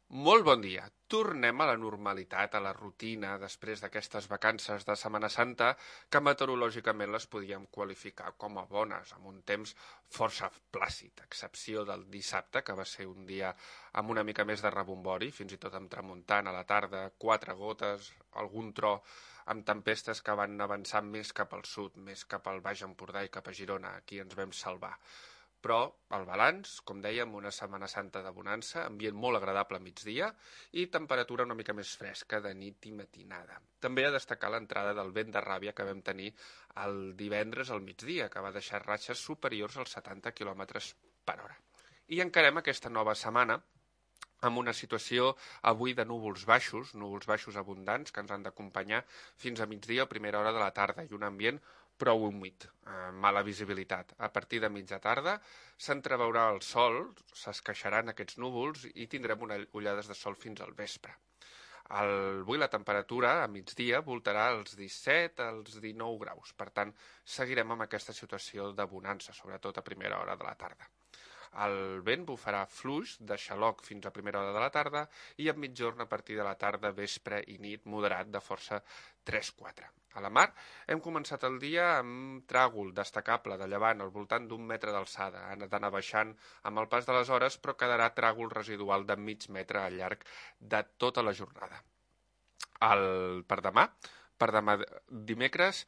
Molt bon dia. Tornem a la normalitat, a la rutina, després d'aquestes vacances de Setmana Santa, que meteorològicament les podíem qualificar com a bones, amb un temps força plàcid, a excepció del dissabte, que va ser un dia amb una mica més de rebombori, fins i tot amb tramuntant a la tarda, 4 gotes, algun tro, amb tempestes que van avançar més cap al sud, més cap al Baix Empordà i cap a Girona. Aquí ens vam salvar. Però el balanç, com dèiem, una Setmana Santa de bonança, ambient molt agradable a migdia i temperatura una mica més fresca de nit i matinada. També a destacar l'entrada del vent de ràbia que vam tenir el divendres al migdia, que va deixar ratxes superiors als 70 km per hora. I encarem aquesta nova setmana amb una situació avui de núvols baixos abundants que ens han d'acompanyar fins a migdia o primera hora de la tarda i un ambient prou humit, mala visibilitat. A partir de mitja tarda s'entreveurà el sol, s'esqueixaran aquests núvols i tindrem ullades de sol fins al vespre. Avui la temperatura a migdia voltarà als 17 als 19 graus, per tant seguirem amb aquesta situació de bonança, sobretot a primera hora de la tarda. El vent bufarà fluix de xaloc fins a primera hora de la tarda i a mitjorn a partir de la tarda, vespre i nit moderat de força 3-4. A la mar hem començat el dia amb tràgol destacable de llevant al voltant d'1 metre d'alçada. Ha d'anar baixant amb el pas de les hores, però quedarà tràgol residual de mig metre al llarg de tota la jornada. Per demà dimecres,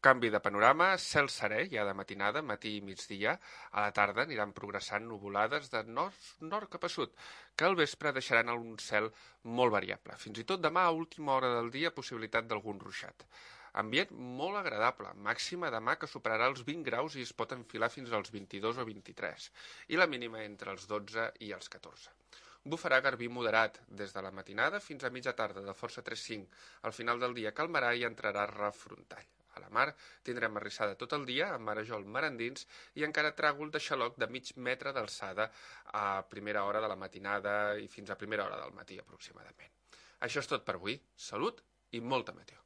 canvi de panorama, cel serè ja de matinada, matí i migdia. A la tarda aniran progressant nuvolades de nord cap a sud, que al vespre deixaran un cel molt variable. Fins i tot demà, a última hora del dia, possibilitat d'algun ruixat. Ambient molt agradable, màxima demà que superarà els 20 graus i es pot enfilar fins als 22 o 23, i la mínima entre els 12 i els 14. Bufarà garbí moderat des de la matinada fins a mitja tarda de força 3-5. Al final del dia calmarà i entrarà refrontall. A la mar tindrem arrissada tot el dia, amb marejol mar endins i encara tràgol de xaloc de mig metre d'alçada a primera hora de la matinada i fins a primera hora del matí aproximadament. Això és tot per avui. Salut i molta meteo.